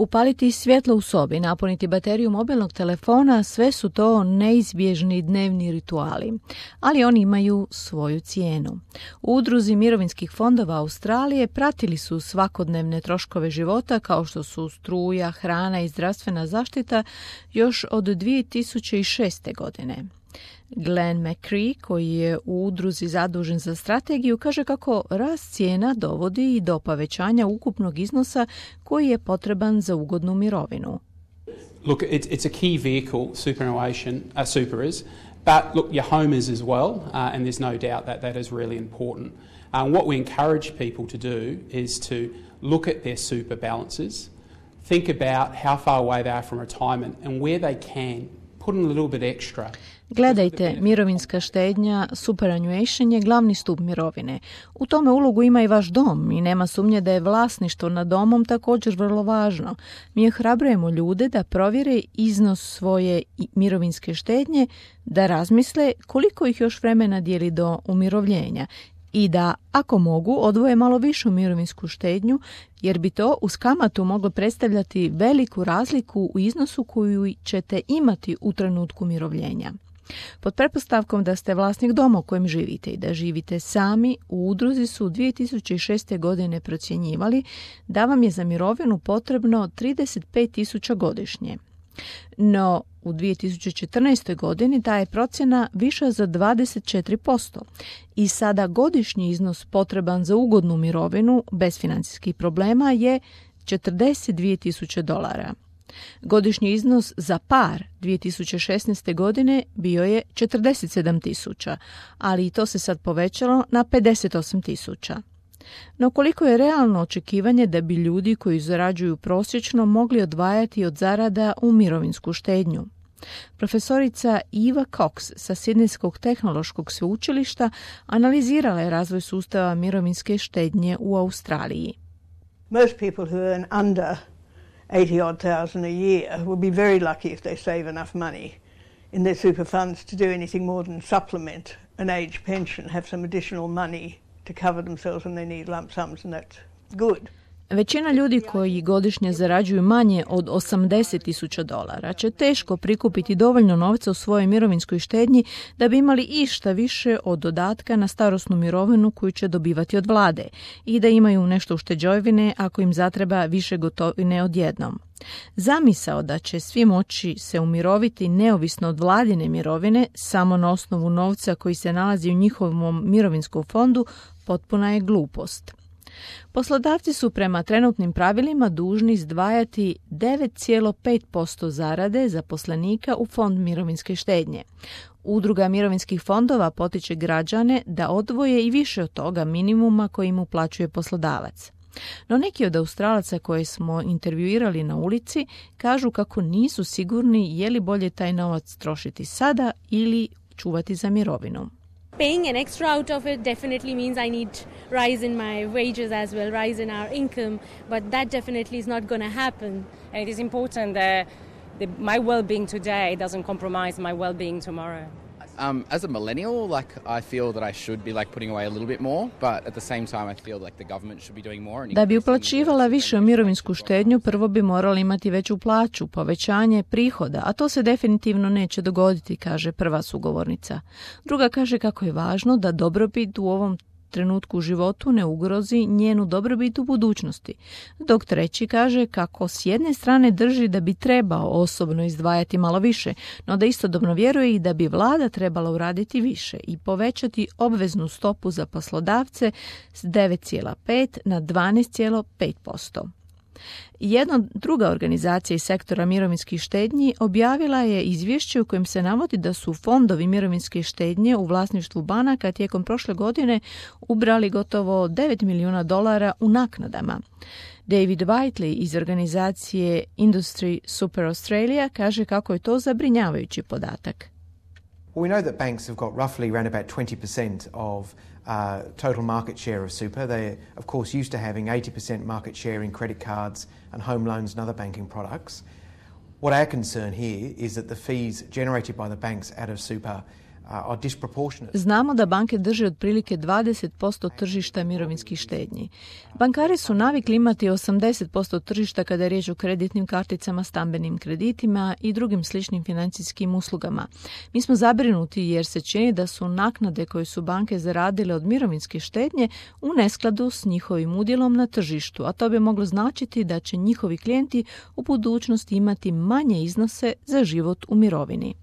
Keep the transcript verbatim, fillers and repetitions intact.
Upaliti svjetlo u sobi, napuniti bateriju mobilnog telefona, sve su to neizbježni dnevni rituali, ali oni imaju svoju cijenu. U udruzi mirovinskih fondova Australije pratili su svakodnevne troškove života kao što su struja, hrana i zdravstvena zaštita još od dvije tisuće šeste. godine. Glenn McCree, koji je u udruzi zadužen za strategiju, kaže kako rast cijena dovodi i do povećanja ukupnog iznosa koji je potreban za ugodnu mirovinu. Look, it's, it's a key vehicle, superannuation, uh, super is, but look, your home is as well, uh, and there's no doubt that that is really important. Um, what we encourage people to do is to look at their super balances, think about how far away they are from retirement and where they can put in a little bit extra. Gledajte, mirovinska štednja, superannuation je glavni stup mirovine. U tome ulogu ima i vaš dom i nema sumnje da je vlasništvo nad domom također vrlo važno. Mi ohrabrujemo ljude da provjere iznos svoje mirovinske štednje, da razmisle koliko ih još vremena dijeli do umirovljenja i da, ako mogu, odvoje malo višu mirovinsku štednju, jer bi to uz kamatu moglo predstavljati veliku razliku u iznosu koju ćete imati u trenutku umirovljenja. Pod pretpostavkom da ste vlasnik doma u kojem živite i da živite sami, u udruzi su dvije tisuće šeste. godine procjenjivali da vam je za mirovinu potrebno trideset pet tisuća godišnje. No, u dvije tisuće četrnaestoj. godini ta je procjena viša za dvadeset četiri posto i sada godišnji iznos potreban za ugodnu mirovinu bez financijskih problema je četrdeset dvije tisuće dolara. Godišnji iznos za par dvije tisuće šesnaeste. godine bio je četrdeset sedam tisuća, ali i to se sad povećalo na pedeset osam tisuća. No koliko je realno očekivanje da bi ljudi koji zarađuju prosječno mogli odvajati od zarada u mirovinsku štednju? Profesorica Eva Cox sa Sidnejskog tehnološkog sveučilišta analizirala je razvoj sustava mirovinske štednje u Australiji. Most people who earn under eighty odd thousand a year will be very lucky if they save enough money in their super funds to do anything more than supplement an age pension, have some additional money to cover themselves when they need lump sums, and that's good. Većina ljudi koji godišnje zarađuju manje od osamdeset tisuća dolara će teško prikupiti dovoljno novca u svojoj mirovinskoj štednji da bi imali išta više od dodatka na starosnu mirovinu koju će dobivati od vlade i da imaju nešto ušteđevine ako im zatreba više gotovine odjednom. Zamisao da će svi moći se umiroviti neovisno od vladine mirovine samo na osnovu novca koji se nalazi u njihovom mirovinskom fondu potpuna je glupost. Poslodavci su prema trenutnim pravilima dužni izdvajati devet zarez pet posto zarade zaposlenika u fond mirovinske štednje. Udruga mirovinskih fondova potiče građane da odvoje i više od toga minimuma koji im uplaćuje poslodavac. No neki od Australaca koje smo intervjuirali na ulici kažu kako nisu sigurni je li bolje taj novac trošiti sada ili čuvati za mirovinu. Paying an extra out of it definitely means I need rise in my wages as well, rise in our income, but that definitely is not going to happen. And it is important that the, my well-being today doesn't compromise my well-being tomorrow. Um, as a millennial, like I feel that I should be like putting away a little bit more, but at the same time I feel like the government should be doing more. Da bi uplaćivala više u mirovinsku štednju, prvo bi morali imati veću plaću, povećanje prihoda, a to se definitivno neće dogoditi, kaže prva sugovornica. Druga kaže kako je važno da dobrobit u ovom trenutku u životu ne ugrozi njenu dobrobit u budućnosti. Dok treći kaže kako s jedne strane drži da bi trebao osobno izdvajati malo više, no da istodobno vjeruje i da bi vlada trebala uraditi više i povećati obveznu stopu za poslodavce s devet zarez pet na dvanaest zarez pet posto. Jedna druga organizacija iz sektora mirovinskih štednji objavila je izvješće u kojem se navodi da su fondovi mirovinske štednje u vlasništvu banaka tijekom prošle godine ubrali gotovo devet milijuna dolara u naknadama. David Whiteley iz organizacije Industry Super Australia kaže kako je to zabrinjavajući podatak. Well, we know that banks have got roughly around about twenty percent of uh, total market share of super. They're, of course, used to having eighty percent market share in credit cards and home loans and other banking products. What our concern here is that the fees generated by the banks out of super are disproportionate. Znamo da banke drže otprilike dvadeset posto tržišta mirovinskih štednji. Bankari su navikli imati osamdeset posto tržišta kada je riječ o kreditnim karticama, stambenim kreditima i drugim sličnim financijskim uslugama. Mi smo zabrinuti jer se čini da su naknade koje su banke zaradile od mirovinske štednje u neskladu s njihovim udjelom na tržištu, a to bi moglo značiti da će njihovi klijenti u budućnosti imati manje iznose za život u mirovini.